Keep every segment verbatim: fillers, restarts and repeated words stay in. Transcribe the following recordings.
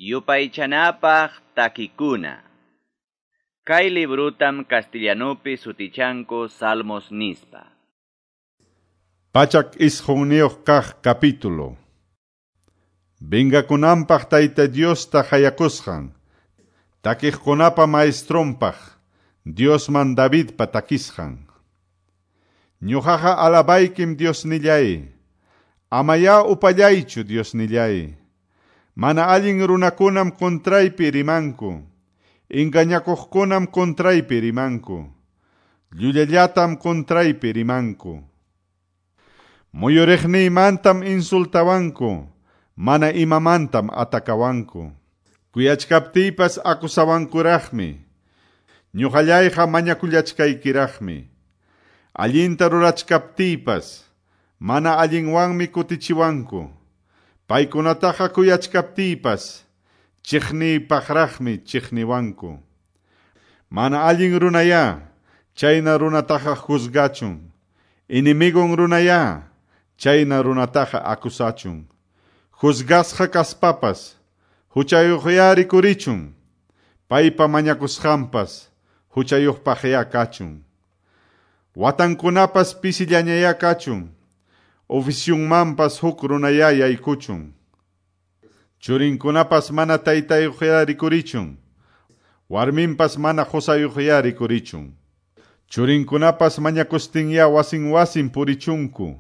Yupaychanapaq takikuna. Kay librutam castellanupi sutichanku Salmos nispa. Pachak isqunniyuq kaq capítulo. Vengakunanpaq Tayta Diosta hayakusqan, takiqkunapa maestronpaq, Diosman Davidpa takisqan. Ñuqaqa alabaykim Diosnillay, amaya upallaychu Diosnillay. Mana allin runakunam contraypi rimanku, engañakuqkunam contraypi rimanku, llullallatam contraypi rimanku. Muyuriqniymantam insultawanku, mana imamantam atakawanku. Kuyachkaptiypas acusawankuraqmi, ñuqallayqa mañakullachkaykiraqmi. Allinta rurachkaptiypas, mana allinwanmi kutichiwanku. Paykunataqa kuyachkaptiypas, chiqniypaqraqmi chiqniwanku. Mana allin runaya, chayna runataqa juzgachun. Enemigon runaya, chayna runataqa acusachun. Juzgasqa kaspapas, huchayuqya rikurichun. Paypa mañakusqanpas, huchayuqpaqya kachun. Watankunapas pisillañaya kachun. Ofisyunmanpas huk runaya yaykuchun. Churinkunapas mana taytayuqya rikurichun. Warminpas mana qusayuqya rikurichun. Churinkunapas mañakustinya wasin wasin purichunku.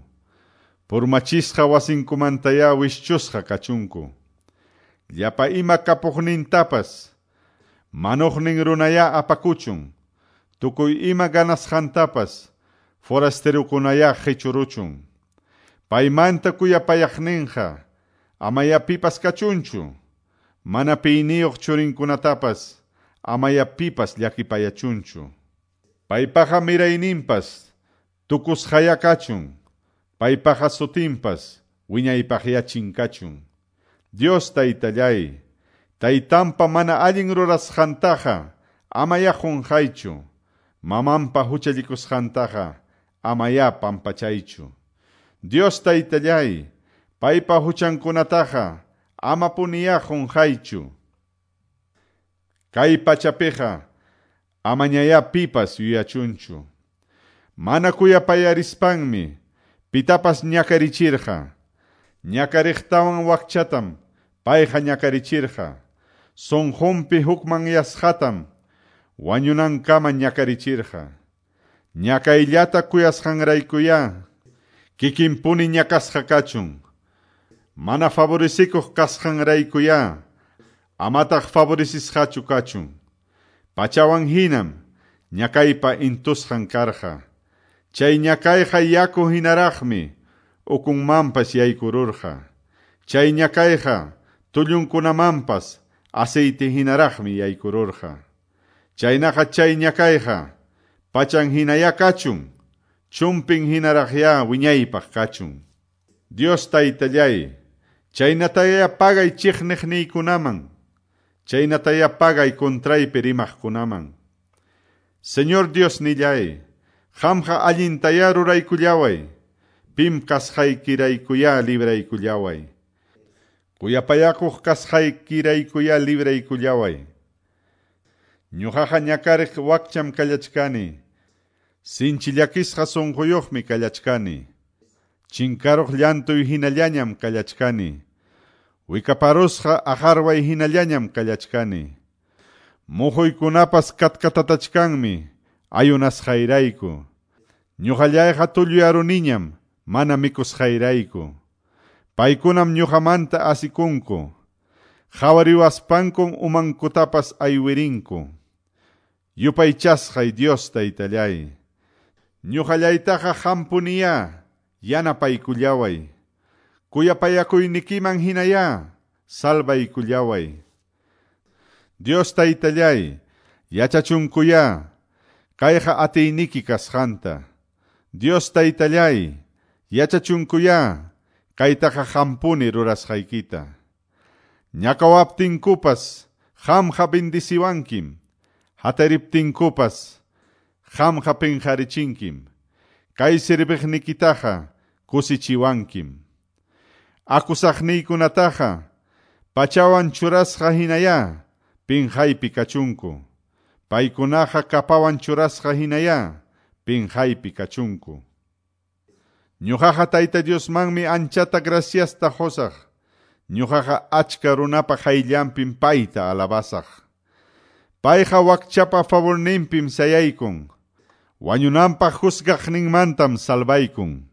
Purmachisqa wasinkumantaya wischusqa kachunku. Llapa ima kapuqnintapas, manuqnin runaya apakuchun. Tukuy ima ganasqantapas, forasterukunaya qichuruchun. Paymanta kuyapayaqninqa, amaya pipas kachunchu. Mana piyniyuq churinkunatapas, amaya pipas llakipayachunchu. Paypaqa mirayninpas, tukusqaya kachun. Paypaqa sutinpas, wiñaypaqya chinkachun. Dios taytallay, taytanpa mana allin rurasqantaqa, amaya qunqaychu. Mamanpa huchallikusqantaqa, amaya pampachaychu. Dios taytallay, paypa huchankunataqa, amapuniya qunqaychu. Kay pachapiqa, amañaya pipas yuyachunchu. Mana kuyapayarispanmi, pitapas ñakarichirqa. Ñakariqtawan wakchatam, payqa ñakarichirqa. Sunqunpi hukmanyasqatam, wañunankama ñakarichirqa. Ñakayllata kuyasqanraykuya, kikinpuni ñakasqa kachun. Mana favorecikuq kasqanraykuya, amataq favorecisqachu kachun. Pachawan hinam, ñakaypa intusqan karqa. Chay ñakayqa yaku hinaraqmi, ukunmanpas yaykururqa. Chay ñakayqa tullunkunamanpas aceite hinaraqmi yaykururqa. Chaynaqa chay ñakayqa pachan hinaya kachun, chumpin hinaraqya wiñaypaq kachun. Dios taytallay, chaynataya pagay chiqniqniykunaman, chaynataya pagay contraypi rimaqkunaman. Señor Dios nillay, qamqa allintaya ruraykullaway, pim kasqaykiraykuya libraykullaway. Kuyapayakuq kasqaykiraykuya libraykullaway. Ñuqaqa ñakariq wakcham kallachkani, sinchi llakisqa sunquyuqmi kallachkani. Chinkaruq llantuy hinallañam kallachkani. Wikaparusqa aqarway hinallañam kallachkani. Muhuykunapas katkatatachkanmi, ayunasqayrayku. Ñuqallayqa tulluyaruniñam, mana mikusqayrayku. Paykunam ñuqamanta asikunku. Qhawariwaspankum umankutapas aywirinku. Yupaychasqay Dios taytallay, ñuqallaytaqa hampuniya, yanapaykullaway. Kuyapayakuynikiman hinaya, salvaykullaway. Dios taytallay, yachachunkuya, kayqa atiyniki kasqanta. Dios taytallay, yachachunkuya, kaytaqa hampuni rurasqaykita. Ñakawaptinkupas, qamqa bendiciwankim. Hatariptinkupas, qamqa pinqarichinkim. Kay sirviqnikitaqa kusichiwankim. Akusaqniykunataqa, Pachawan churasqa hinayá, pinqaypi kachunku. Paykunaqa kapawan churasqa hinayá, pinqaypi kachunku. Ñuqaqa Tayta Diosmanmi anchata graciasta qusaq. Ñuqaqa achka runapa qayllanpim payta alabasaq. Payqa wakchapa favorninpim sayaykun. Wañunanpaq juzgaqninmantam salvaykun.